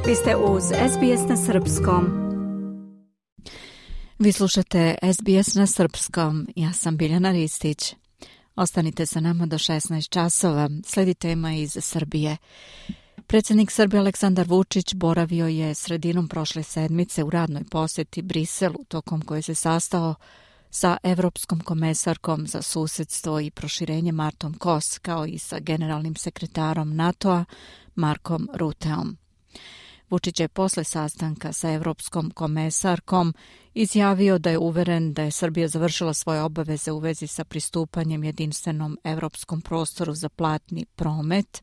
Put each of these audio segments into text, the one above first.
Vi ste uz SBS na Srpskom. Vi slušate SBS na Srpskom. Ja sam Biljana Ristić. Ostanite sa nama do 16 časova. Slijedi tema iz Srbije. Predsjednik Srbije Aleksandar Vučić boravio je sredinom prošle sedmice u radnoj posjeti Briselu, tokom koje se sastao sa Evropskom komesarkom za susedstvo i proširenje Martom Kos, kao i sa generalnim sekretarom NATO-a Markom Ruteom. Vučić je posle sastanka sa Evropskom komesarkom izjavio da je uveren da je Srbija završila svoje obaveze u vezi sa pristupanjem jedinstvenom evropskom prostoru za platni promet.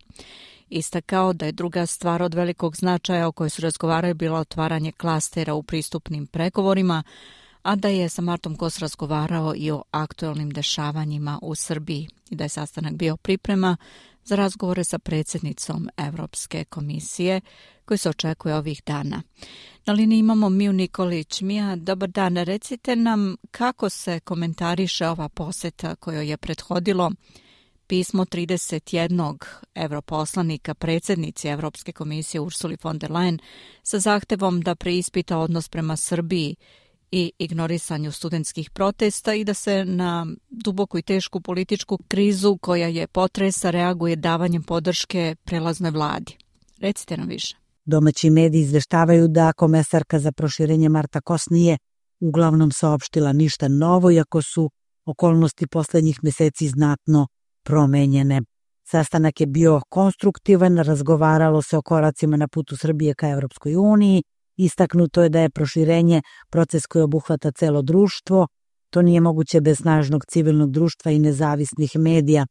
Istakao da je druga stvar od velikog značaja o kojoj su razgovarali bila otvaranje klastera u pristupnim pregovorima, a da je sa Martom Kos razgovarao i o aktuelnim dešavanjima u Srbiji i da je sastanak bio priprema za razgovore sa predsjednicom Evropske komisije koji se očekuje ovih dana. Na liniji imamo Miju Nikolić. Mija, dobar dan. Recite nam kako se komentariše ova posjeta kojoj je prethodilo pismo 31 europoslanika predsjednici Evropske komisije Ursuli von der Leyen sa zahtevom da preispita odnos prema Srbiji i ignorisanju studentskih protesta i da se na duboku i tešku političku krizu koja je potresa reaguje davanjem podrške prelaznoj vladi. Recite nam više. Domaći mediji izveštavaju da komesarka za proširenje Marta Kos nije uglavnom saopštila ništa novo, iako su okolnosti posljednjih mjeseci znatno promenjene. Sastanak je bio konstruktivan, razgovaralo se o koracima na putu Srbije ka Evropskoj uniji. Istaknuto je da je proširenje proces koji obuhvata celo društvo. To nije moguće bez snažnog civilnog društva i nezavisnih medija.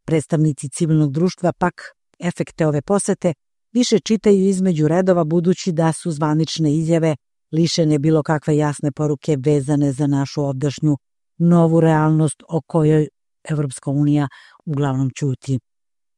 Predstavnici civilnog društva pak efekte ove posete više čitaju između redova, budući da su zvanične izjave lišene bilo kakve jasne poruke vezane za našu ovdašnju novu realnost o kojoj Evropska unija uglavnom ćuti.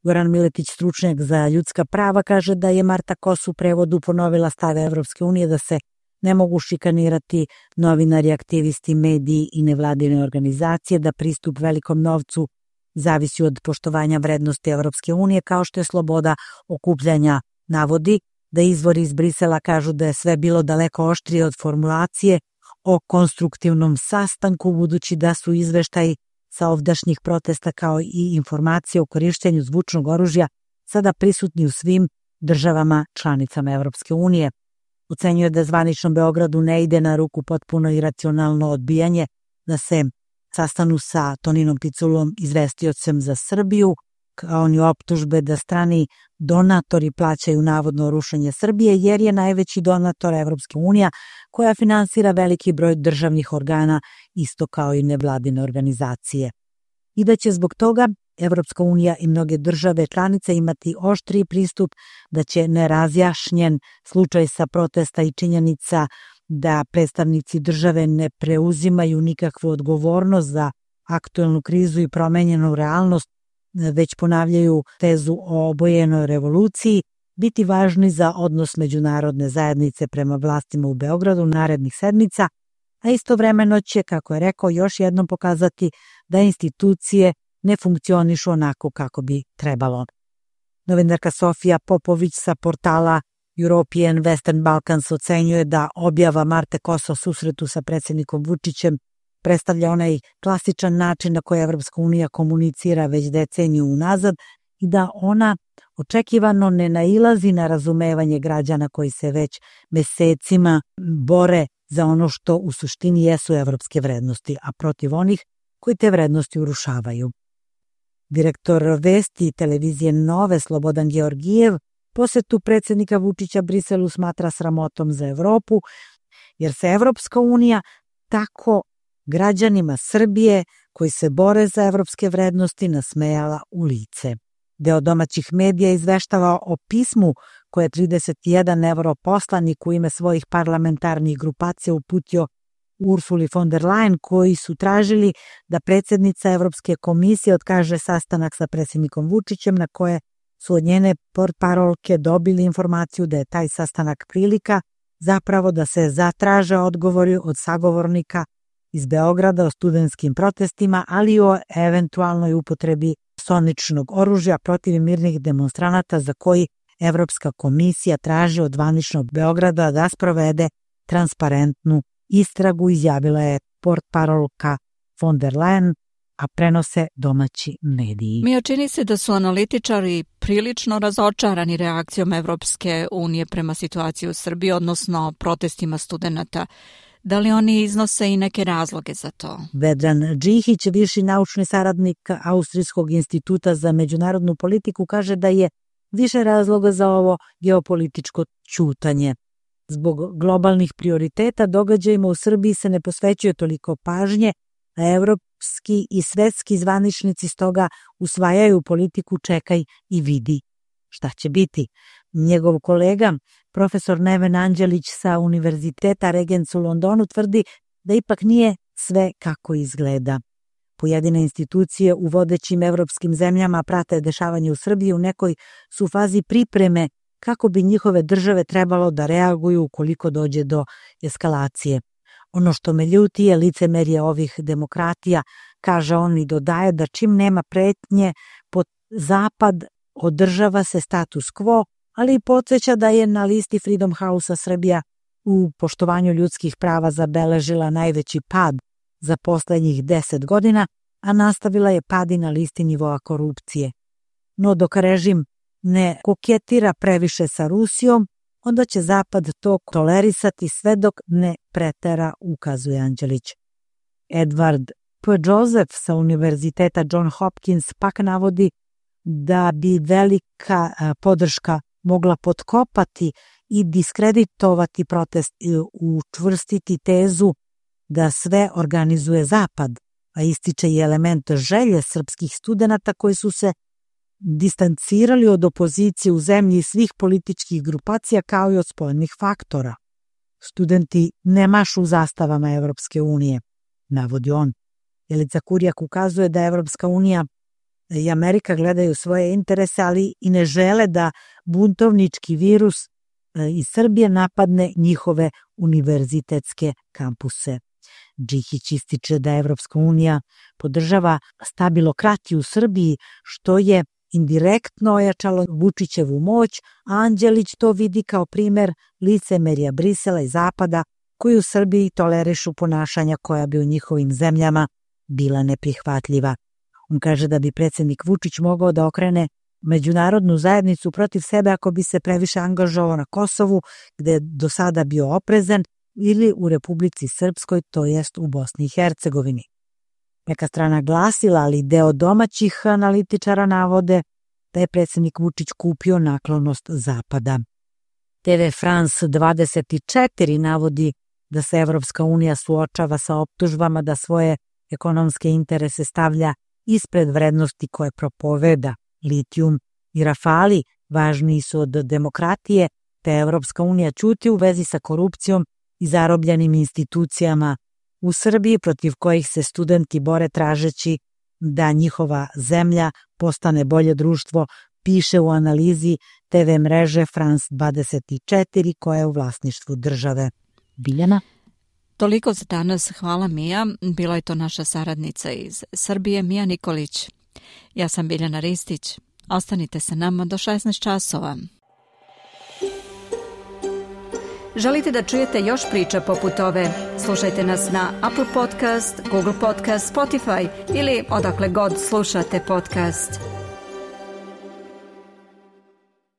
Goran Miletić, stručnjak za ljudska prava, kaže da je Marta Kos u prevodu ponovila stave Evropske unije da se ne mogu šikanirati novinari, aktivisti, mediji i nevladine organizacije, da pristup velikom novcu zavisi od poštovanja vrednosti Evropske unije, kao što je sloboda okupljanja. Navodi da izvori iz Brisela kažu da je sve bilo daleko oštrije od formulacije o konstruktivnom sastanku, budući da su izveštaji sa ovdašnjih protesta kao i informacije o korištenju zvučnog oružja sada prisutni u svim državama članicama Evropske unije. Ocenjuje da zvaničnom Beogradu ne ide na ruku potpuno iracionalno odbijanje da se sastanu sa Toninom Piculom, izvestiocem za Srbiju, kao ni optužbe da strani donatori plaćaju navodno rušenje Srbije, jer je najveći donator Evropske unija koja finansira veliki broj državnih organa, isto kao i nevladine organizacije. I da će zbog toga Evropska unija i mnoge države članice imati oštriji pristup, da će nerazjašnjen slučaj sa protesta i činjenica da predstavnici države ne preuzimaju nikakvu odgovornost za aktuelnu krizu i promenjenu realnost, već ponavljaju tezu o obojenoj revoluciji, biti važni za odnos međunarodne zajednice prema vlastima u Beogradu narednih sedmica, a istovremeno će, kako je rekao, još jednom pokazati da institucije ne funkcionišu onako kako bi trebalo. Novinarka Sofija Popović sa portala European Western Balkans ocenjuje da objava Marte Kos o susretu sa predsjednikom Vučićem predstavlja onaj klasičan način na koji Evropska unija komunicira već deceniju unazad i da ona očekivano ne nailazi na razumevanje građana koji se već mesecima bore za ono što u suštini jesu evropske vrednosti, a protiv onih koji te vrednosti urušavaju. Direktor vesti televizije Nove Slobodan Georgijev posetu predsjednika Vučića Briselu smatra sramotom za Evropu, jer se Evropska unija tako građanima Srbije koji se bore za evropske vrednosti nasmejala u lice. Deo domaćih medija izveštava o pismu koje je 31 europoslanik u ime svojih parlamentarnih grupacija uputio Ursuli von der Leyen, koji su tražili da predsjednica Evropske komisije otkaže sastanak sa predsjednikom Vučićem, na koje su od njene portparolke dobili informaciju da je taj sastanak prilika zapravo da se zatraže odgovori od sagovornika iz Beograda o studentskim protestima, ali i o eventualnoj upotrebi soničnog oružja protiv mirnih demonstranata za koji Evropska komisija traži od zvaničnog Beograda da sprovede transparentnu istragu, izjavila je portparolka von der Leyen, a prenose domaći mediji. Mija, čini se da su analitičari prilično razočarani reakcijom Evropske unije prema situaciji u Srbiji, odnosno protestima studenata. Da li oni iznose i neke razloge za to? Vedran Džihić, viši naučni saradnik Austrijskog instituta za međunarodnu politiku, kaže da je više razloga za ovo geopolitičko ćutanje. Zbog globalnih prioriteta događajima u Srbiji se ne posvećuje toliko pažnje, a evropski i svetski zvaničnici stoga usvajaju politiku čekaj i vidi šta će biti. Njegov kolega, profesor Neven Anđelić sa Univerziteta Regents u Londonu, tvrdi da ipak nije sve kako izgleda. Pojedine institucije u vodećim evropskim zemljama prate dešavanje u Srbiji, u nekoj su fazi pripreme kako bi njihove države trebalo da reaguju ukoliko dođe do eskalacije. Ono što me ljuti je licemerje ovih demokratija, kaže on, i dodaje da čim nema pretnje pod zapad održava se status quo, ali i podsjeća da je na listi Freedom House-a Srbija u poštovanju ljudskih prava zabeležila najveći pad za poslednjih 10 godina, a nastavila je pad i na listi nivoa korupcije. No dok režim ne koketira previše sa Rusijom, onda će Zapad to tolerisati sve dok ne pretera, ukazuje Anđelić. Edward P. Joseph sa Univerziteta John Hopkins pak navodi da bi velika podrška mogla potkopati i diskreditovati protest i učvrstiti tezu da sve organizuje Zapad, a ističe i element želje srpskih studenata koji su se distancirali od opozicije u zemlji i svih političkih grupacija kao i od spoljnih faktora. Studenti ne mašu zastavama Evropske unije, navodi on. Jelica Kurjak ukazuje da Evropska unija i Amerika gledaju svoje interese, ali i ne žele da buntovnički virus iz Srbije napadne njihove univerzitetske kampuse. Džihić ističe da Evropska unija podržava stabilokratiju u Srbiji, što je indirektno ojačalo Vučićevu moć, a Anđelić to vidi kao primer licemerja Brisela i Zapada, koji u Srbiji tolerišu ponašanja koja bi u njihovim zemljama bila neprihvatljiva. On kaže da bi predsjednik Vučić mogao da okrene međunarodnu zajednicu protiv sebe ako bi se previše angažovao na Kosovu, gde je do sada bio oprezan, ili u Republici Srpskoj, to jest u Bosni i Hercegovini. Neka strana glasila, ali deo domaćih analitičara navode da je predsjednik Vučić kupio naklonost Zapada. TV France 24 navodi da se Evropska unija suočava sa optužbama da svoje ekonomske interese stavlja ispred vrednosti koje propoveda. Litijum i Rafali važniji su od demokratije, te Evropska unija ćuti u vezi sa korupcijom i zarobljenim institucijama u Srbiji, protiv kojih se studenti bore tražeći da njihova zemlja postane bolje društvo, piše u analizi TV mreže France 24 koja je u vlasništvu države. Biljana? Toliko za danas. Hvala, Mija. Bila je to naša saradnica iz Srbije, Mija Nikolić. Ja sam Biljana Ristić. Ostanite sa nama do 16 časova. Želite da čujete još priča poput ove? Slušajte nas na Apple Podcast, Google Podcast, Spotify ili odakle god slušate podcast.